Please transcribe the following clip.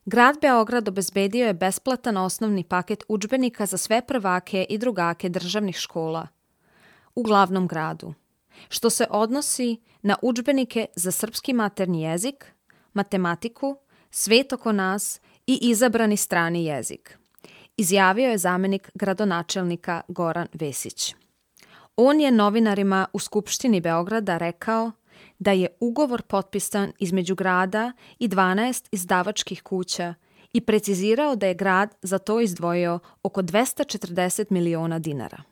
Grad Beograd obezbedio je besplatan osnovni paket udžbenika za sve prvake i drugake državnih škola u glavnom gradu, što se odnosi na udžbenike za srpski maternji jezik, matematiku, svet oko nas i izabrani strani jezik, izjavio je zamenik gradonačelnika Goran Vesić. On je novinarima u Skupštini Beograda rekao da je ugovor potpisan između grada i 12 izdavačkih kuća i precizirao da je grad za to izdvojio oko 240 miliona dinara.